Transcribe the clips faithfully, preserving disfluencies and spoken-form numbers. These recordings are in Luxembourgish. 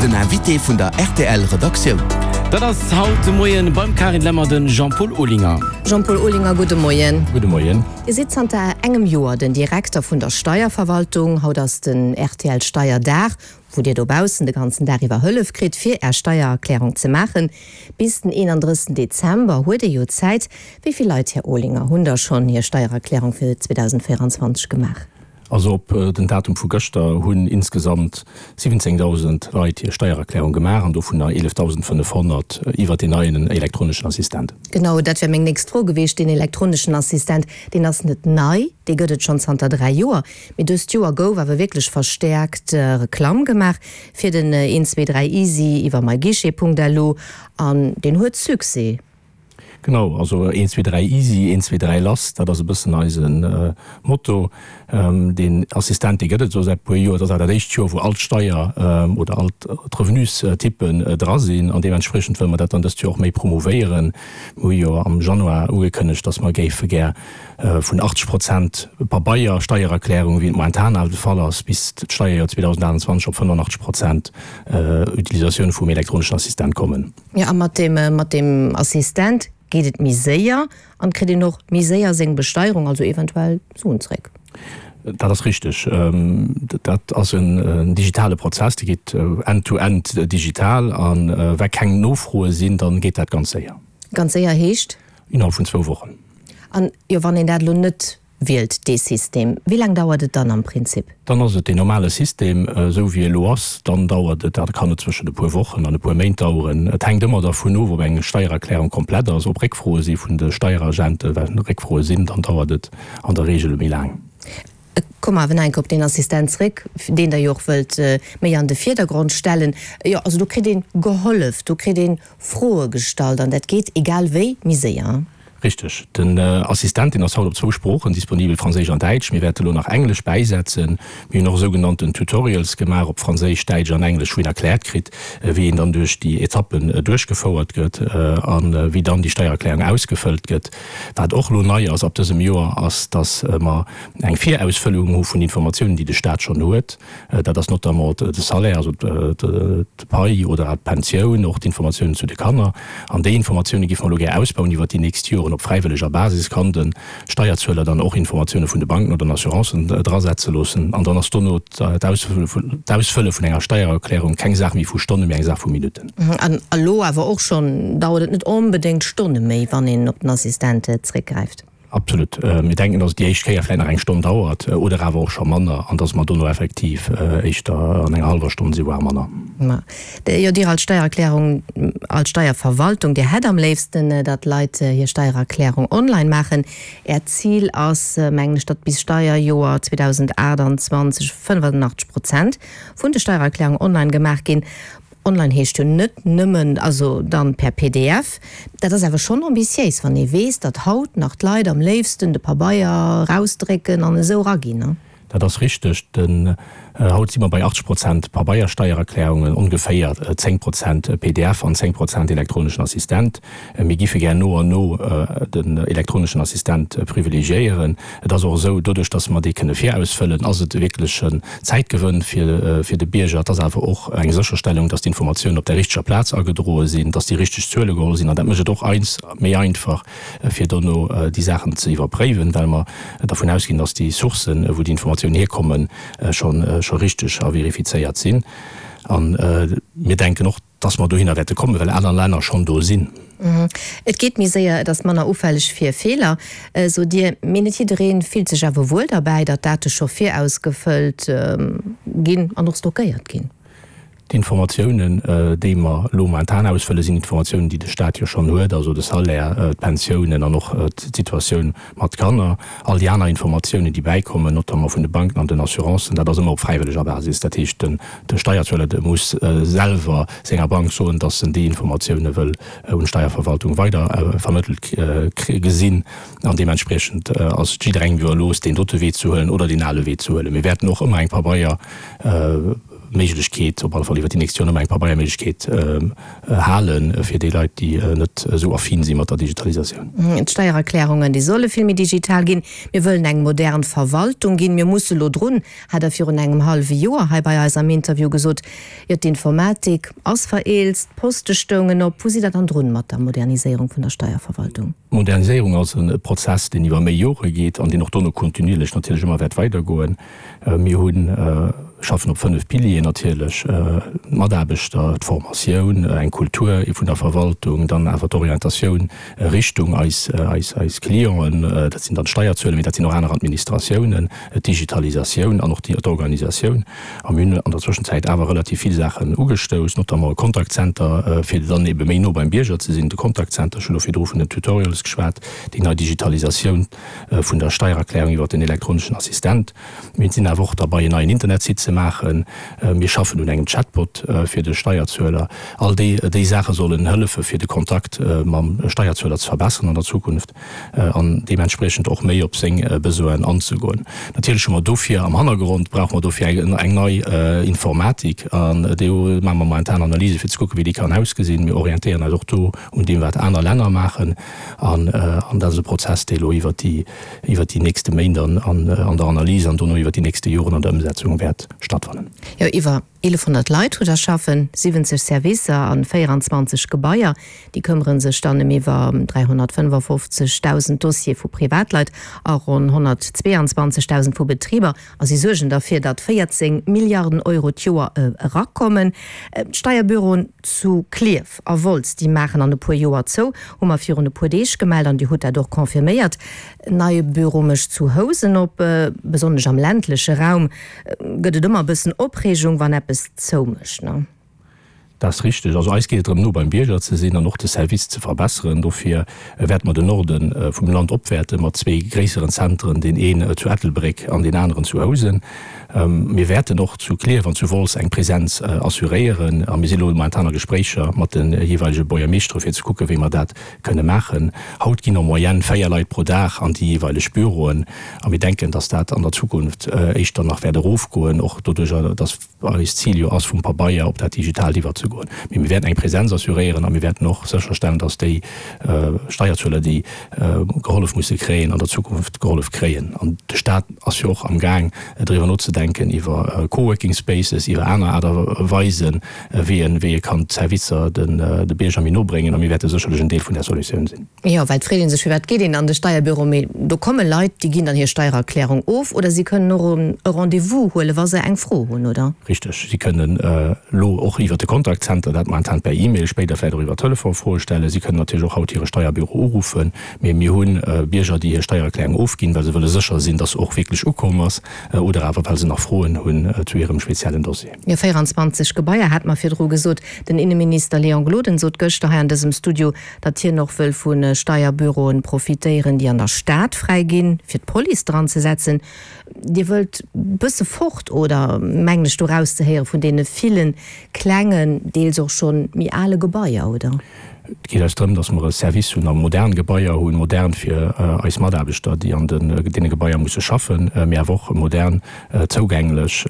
Den Invité vun der R T L Redaktioun. Dat ass haut de Moien beim Karin Lemmer den Jean-Paul Olinger. Jean-Paul Olinger, gudde Moien. Gudde Moien. Dir sidd zanter engem Joer den Direkter vun der Steierverwaltung. Haut ass den R T L Steierdag, wou Dir dobaussen de ganzen Dag iwwer Hëllef kritt fir Är Steiererklärung ze maachen. Bis den eenandrëssegsten Dezember huet Dir jo Zäit. Wéi vill Leit, Här Olinger, hunn da schonn hir Steiererklärung fir zweedausendvéierenzwanzeg gemaach? Also op den Datum vu gëschter hunn insgesamt siwwenzéngdausend Leit hir Steiererklärung gemaach an dovunner eelefdausendfënnefhonnert iwwer den neien elektroneschen Assistent. Genau, dat wär meng nächst Fro gewiescht. Den elektroneschen Assistent, deen ass net nei, dee gëtt et schonn zanter dräi Joer. Mee dëst Joer gouf awer wierklech verstäerkt Reklamm gemaach fir den eent zwee dräi Easy iwwer myguichet Punkt L U an deen huet Succès. Genau, also eent zwee dräi Easy, eent zwee dräi lass, dat ass e bëssen eise Motto. Deen Assistent, dee gëtt et esou säit e puer Joer. Dat ass awer dat éischt Joer, wou all d'Steier oder all d'Revenustypen dra sinn an deementspriechend wëlle mer dat dann dëst Joer och méi promouvéieren. Mir hu jo am Januar ugekënnegt, dass mer géife gär vun achtzeg Prozent Pabeier-Steiererklärung, wéi et momentan awer de Fall ass, bis d'Steierjoer zweedausendachtundzwanzeg op fënnenfünfundachtzeg Prozent Utilisatioun vum elektroneschen Assistent kommen. Jo, a mat deem, mat deem Assistent geet et méi séier an kritt een och méi séier seng Besteierung, also eventuell Suen zréck. Dat ass richteg. Dat ass en digitale Prozess, dee geet end-to-end digital a wa keng Nofroe sinn, dann geet dat ganz séier. Ganz séier heescht? Innerhalb vun zwou Wochen. An jo, wann een dat elo net wielt, dee System, wéi laang dauert et dann am Prinzip? Dann ass et deen normale System, esou wéi e elo ass. Dann dauert et, dat kann et zwëschen e puer Wochen an e puer Méint daueren. Et hänkt ëmmer dervun of, ob eng Steiererklärung komplett ass, ob Réckfroe si vun de Steieragenten. Well Réckfroe sinn, dann dauert et an der Reegel méi laang. Komme mer awer nach eng Kéier op deen Assistent zréck, deen Der jo och wëllt méi an de Virdergrond stellen. Jo, also do kritt ee gehollef, do kritt ee Froe gestallt an dat geet egal wéi méi séier. Richteg. Den Assistent, deen ass haut op zwou Sproochen disponibel, Franséisch an Däitsch. Mir wäerte elo nach Englesch bäisetzen. Mir hunn och sougenannten Tutorials gemaach op Franséisch, Däitsch an Englesch, wou een erkläert kritt, wéi een dann duerch déi Etappen duerchgefouert gëtt a wéi dann déi Steiererklärung ausgefëllt gëtt. Wat och elo nei ass ab dësem Joer, ass, dass mer eng Virausfëllung hu vun Informatiounen, déi de Staat schonn huet. Dat ass notamment de Salaire, also d'Pai oder d'Pensioun, och d'Informatiounen zu de Kanner. An déi Informatioune géife mer elo gär ausbauen iwwert déi nächst Joren. Op fräiwëlleger Basis kann de Steierzueler dann och Informatioune vun de Banken oder den Assurancen drasetze loossen. An dann ass dono d'Ausfëlle vun enger Steiererklärung keng Saach méi vu Stonnen, mee eng Saach vu Minutten. An elo awer och schonn dauert et net onbedéngt Stonne méi, wann een op den Assistent zréckgräift. Absolut. Mir denken, dass et déi éischt Kéier vläicht nach eng Stonn dauert oder awer och scho manner an dass mer dono effektiv éischter an enger hallwer Stonn si voire manner. Ma jo, Dir als Steiererklärung, als Steierverwaltung, Dir hätt am léifsten, datt d'Leit hir Steiererklärung online maachen. Äert Zil ass, mengen ech, datt bis Steierjoer zweedausendachtundzwanzeg fënnefundachtzeg Prozent vun de Steiererklärungen online gemaach ginn. Online heescht jo net nëmmen, also dann per P D F. Dat ass awer schonn ambitiéis, wann ee weess, datt haut nach d'Leit am léifsten de Pabeier erausdrécken an esou eraginn, ne? Dat ass richteg. Den, haut si mer bei achtzeg Prozent Pabeiersteiererklärungen, ongeféier zéng Prozent P D F an zéng Prozent elektroneschen Assistent. Mir géife gär no an no den elektroneschen Assistent privilegiéieren. Et ass och esou, doduerch datt mer dee kënne virausfëllen, ass et wierklech en Zäitgewënn fir, fir de Bierger. Et ass awer och eng Sécherstellung, datt d'Informatiounen op der richteger Plaz agedroe sinn, datt déi richteg Zuele geholl sinn. An dat mécht et och eis méi einfach, fir dono déi Saachen ze iwwerpréiwen, well mer dervun ausginn, datt déi Sourcen, wou déi Informatiounen hierkommen, scho scho richteg a verifizéiert sinn. A mir denken och, datt mer dohinner wäerte kommen, well aner Länner schonn do sinn. Et geet méi séier, et ass manner ufälleg fir Feeler, sot Dir. Mee net jidderee fillt sech awer wuel derbäi, datt Date scho virausgefëllt ginn an och stockéiert ginn. D'Informatiounen, déi mer elo momentan ausfëllen, sinn Informatiounen, déi de Staat jo schonn huet, also de Salaire, d'Pensiounen an och d'Situatioun mat Kanner. All déi aner Informatiounen, déi bäikommen, notamment vun de Banken an den Assurancen, dat ass ëmmer op fräiwëlleger Basis. Dat heescht, de Steierzueler, de muss selwer senger Bank soen, dass en déi Informatioune wëll un d'Steierverwaltung weider vermëttelt gesinn. An deementspriechend ass et jidderengem iwwerlooss, deen dote Wee ze huelen oder deen ale Wee ze huelen. Mir wäerten och ëmmer eng Pabeier. Méiglechkeet, op alle Fall iwwer déi nächst Joren, ëmmer eng Pabeierméiglechkeet halen, fir déi Leit, déi net esou affin si mat der Digitalisatioun. D'Steiererklärungen, déi solle vill méi digital ginn. Mir wëllen eng modern Verwaltung ginn. Mir musse lo drun, hat Der virun engem hallwe Joer hei bei eis am Interview gesot. Jo, d'Informatik ass vereelzt, d'Poste stoungen op. Wou sidd Der dann drun mat der Moderniséierung vun der Steierverwaltung? D'Moderniséierung ass e Prozess, deen iwwer méi Jore geet an deen och dono kontinuierlech natierlech ëmmer wäert weidergoen. Mir hunn, schaffen op fënnef Pilieren natierlech, d'Mataarbechter, d'Formatioun, eng Kultur vun der Verwaltung, dann awer d'Orientatioun Richtung eis, eis, eis Clienten, dat sinn dann d'Steierzueler, mee dat sinn och aner Administratiounen, d'Digitalisatioun an och d'Organisatioun. A mir hunn an der Zwëschenzäit awer relativ vill Saachen ugestouss, notamment e Contact Center, fir dann ebe méi no beim Bierger ze sinn, de Contact Center, ech hunn elo virdru vun den Tutorials geschwat, déi nei Digitalisatioun vun der Steiererklärung iwwert den elektroneschen Assistent. Mir sinn awer och derbei, en neien Internetsite ze maachen. Mir schaffen un engem Chatbot fir de Steierzueler. All déi, déi Saache sollen hëllefe fir de Kontakt mam Steierzueler ze verbesseren an der Zukunft an deementspriechend och méi op seng Besoinen anzegoen. Natierlech hu mer dofir am Hannergrond, brauche mer dofir eng nei Informatik an do maache mer momentan Analyse fir ze kucken, wéi déi kann ausgesinn. Mir orientéieren eis och do un deem, wat aner Länner maachen an dat ass e Prozess, dee elo iwwert déi iwwert déi nächste Méint an an der Analys an dono iwwert déi nächste Joren an der Ëmsetzung wäert stattfannen. Jo, iwwer eelefhonnert Leit hutt Der schaffen, siwwenzeg Servicer an véieranzwanzeg Gebaier. Déi këmmere sech dann ëm iwwer dräihonnertfënnefafofzegdausend Dossiere vu Privatleit a ronn honnertzweeanzwanzegdausend vu Betriber. A si suergen derfir, datt véierzéng Milliarden Euro d'Joer erakommen. D'Steierbüroen zu Klierf a Wolz, déi maachen an e puer Joer zou, hu mer virun e puer Deeg gemellt an Dir hutt dat och confirméiert. En neie Büro mécht zu Housen op. Besonnesch am ländleche Raum gëtt et ëmmer e bëssen Opreegung, wann eppes zoumécht, ne? Dat ass richteg. Also eis geet et drëm, no beim Bierger ze sinn an och de Service ze verbesseren. Dofir wäerte mer den Norde vum Land opwäerte mat zwee gréisseren Zentren, deen een zu Ettelbréck an deen aneren zu Housen. Mir wäerten och zu Klierf an zu Wolz eng Presenz assuréieren a mir si lo momentan a Gespréicher mat de jeeweilege Buergermeeschtere fir ze kucken, wéi mer dat kënne maachen. Haut ginn en moyenne véier Leit pro Dag an déi jeeweileg Büroen a mir denken, dass dat an der Zukunft éischter nach wäert erofgoen, och doduerjer, dass eist Zil jo ass, vum Pabeier op dat Digitaalt iwwerzegoen. Mee mir wäerten eng Presenz assuréieren a mir wäerten och sécherstellen, dass déi Steierzueler, déi gehollef musse kréien, an der Zukunft gehollef kréien. An de Stat ass jo och amgaang, driwwer nozedenken, iwwer Coworking Spaces, iwwer aner Aart a Weisen, wéi en, wéi e kann d'Servicer de Bierger méi no bréngen. A mir wäerte sécherlech en Deel vun där Solutioun sinn. Jo, well et freet ee sech, firwat geet een an de Steierbüro? Mee do komme Leit, déi ginn dann hir Steiererklärung of oder si kënnen och e Rendez-vous huelen, wa se eng Fro hunn, oder? Richteg. Si kënnen elo och iwwer de Contact Center, dat momentan per E-Mail, spéider vläicht och iwwer Telefon, Froe stellen. Si kënnen natierlech och haut hire Steierbüro uruffen. Mee mir hu Bierger, déi hir Steiererklärung ofginn, well se wëlle sécher sinn, dass se och wierklech ukomm ass, oder awer well se nach Froen hunn zu hirem speziellen Dossier. Jo, véieranzwanzeg Gebaier hat mer virdru gesot. Den Inneminister Léon Gloden sot gëschter hei an dësem Studio, datt hien och wëll vu Steierbüroen profitéieren, déi an der Stad fräi ginn, fir d'Police dran ze setzen. Dir wëllt bësse fort, oder mengen ech do rauszehéieren, vun deene ville klengen, deels och scho méi ale Gebaier, oder? Et geet eis drëm, datt mer e Service hunn a modern Gebaier hunn, modern fir eis Mataarbechter, déi an deene Gebaier musse schaffen, mee awer och modern zougänglech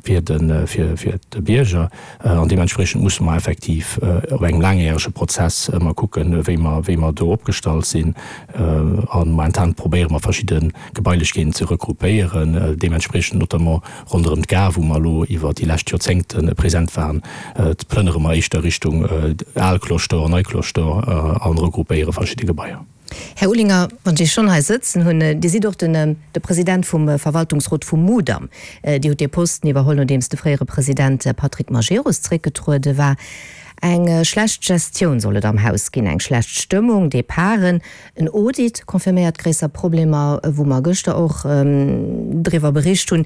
fir de Bierger. An deementspriechend musse mer effektiv op engem laangjärege Prozess ëmmer kucken, wéi mer, wéi mer do opgestallt sinn. A momentan probéiere mer verschidde Gebailechkeeten ze regroupéieren, deementspriechend notamment ronderëm d'Gare, wou mer elo iwwer déi lescht Joerzéngte present waren, plënnere mer éischter Richtung Al Cloche d'Or, Nei Cloche d'Or a regroupéiere verschidde Gebaier. Här Olinger, wann ech Iech schonn hei sëtzen hunn, Dir sidd och den de President vum Verwaltungsrot vum Mudam. Dir hutt dee Posten iwwerholl, nodeems de fréiere President Patrick Majerus zréckgetruede war. Eng schlecht Gestioun soll et am Haus ginn, eng schlecht Stëmmung, Departen, en Audit confirméiert gréisser Problemer, wou mer gëschter och driwwer bericht hunn.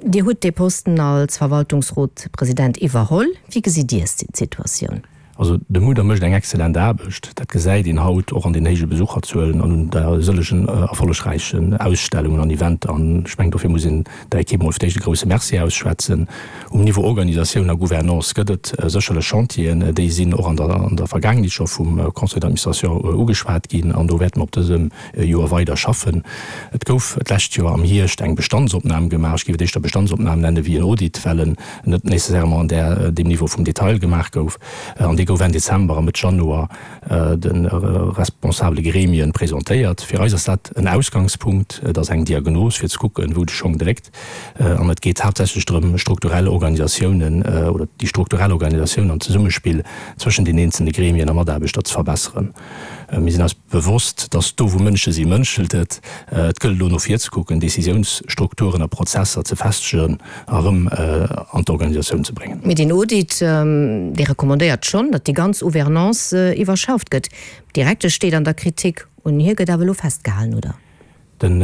Dir hutt dee Posten als Verwaltungsrotpresident iwwerholl. Wéi gesitt Dir d'Situatioun? Also de Mudam mécht eng exzellent Aarbecht, dat gesäit een haut och an den héije Besucherzuelen an un der sëllegen erfollegräichen Ausstellungen an Eventer. An ech mengen, dofir muss een der Ekipp mol fir d'éischt e grouse Merci ausschwätzen. Um Niveau Organisatioun a Gouvernance gëtt et sécherlech Chantieren, déi sinn och an der an der Vergaangenheet scho vum Conseil d'administration ugeschwat ginn an do wäerte mer op dësem Joer weider schaffen. Et gouf d'lescht Joer am Hierscht eng Bestandsopnam gemaach, ech géif et éischter Bestandsopnam nenne wéi en Audit, well en net nécessairement an där deem Niveau vum Detail gemaach gouf. An dee gouf Enn Dezember a Mëtt Januar de responsabele Gremien presentéiert. Fir eis ass dat en Ausgangspunkt, et ass eng Diagnos, fir ze kucken, wou de Schong dréckt. An et geet haaptsächlech drëm, strukturell Organisatiounen oder déi strukturell Organisatioun an d'Zesummespill zwëschen den eenzelne Gremien a Mataarbechter ze verbesseren. Mir sinn eis bewosst, dass do, wou Mënsche sinn, mënschelt et. Et gëllt elo no vir ze kucken, Décisiounsstrukturen a Prozesser ze festegen a erëm an d'Organisatioun ze bréngen. Mee deen Audit, dee recommandéiert schonn, datt déi ganz Gouvernance iwwerschafft gëtt. D'Direktesch steet an der Kritik. Un hir gëtt awer elo festgehalen, oder? Den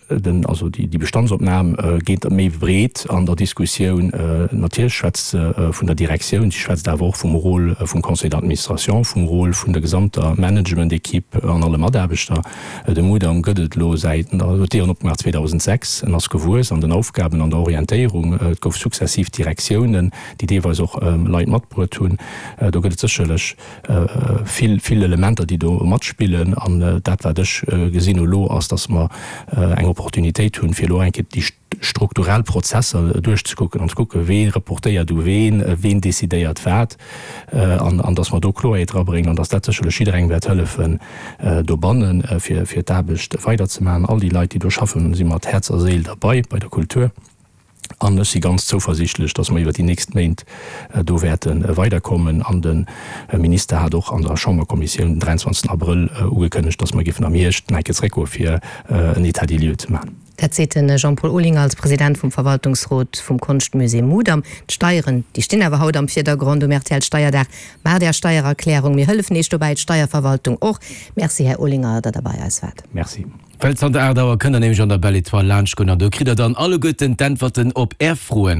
Den, also déi Bestandsopnam geet méi breet an der Diskussioun. Natierlech schwätzt se vun der Direktioun, si schwätzt awer och vum Rôle vum Conseil d'administration, vum Rôle vun der gesamter Managementequipe an alle Mataarbechter. De Mudam gëtt et elo säit, en huet d'Dieren opgemaach zweedausendsechs, en ass gewuess an den Aufgaben, an der Orientéierung. Et gouf successiv Direktiounen, déi deelweis och Leit matbruet hunn. Do gëtt et sécherlech vill, vill Elementer, déi do matspillen. An dat, wat ech gesinn hu elo, ass, dass mer eng Opportunitéit hunn, fir elo eng Kéier déi strukturell Prozesser duerchzekucken an ze kucken, wee reportéiert u ween, ween decidéiert wat, an, an dass mer do Kloerheet erabréngen an dass dat sécherlech jidderengem wäert hëllefen dobannen, fir, fir d'Aarbecht weiderzemaachen. All déi Leit, déi do schaffen, si mat Häerz a Séil derbei bei der Kultur. An ech si ganz zouversiichtlech, dass mer iwwert déi nächst Méint do wäerte weiderkommen. An de Minister hat och an der Chamberkommissioun den dräianzwanzegsten Abrëll ugekënnegt, dass mer géifen am Hierscht nach eng Kéier zréckgoe fir en État des lieux ze maachen. Dat seet de Jean-Paul Olinger als President vum Verwaltungsrot vum Konschtmusée Mudam. D'Steieren, déi stinn awer haut am Virdergrond um R T L-Steierdag. Maacht Är Steiererklärung, mir hëllefen Iech dobäi, d'Steierverwaltung och. Merci, Här Olinger, datt Der bei eis waart. Merci. Well zanter aacht Auer kënnt der nämlech an der Belle Etoile laanscht goen an do kritt der dann alleguerten d'Äntwerten op är Froen.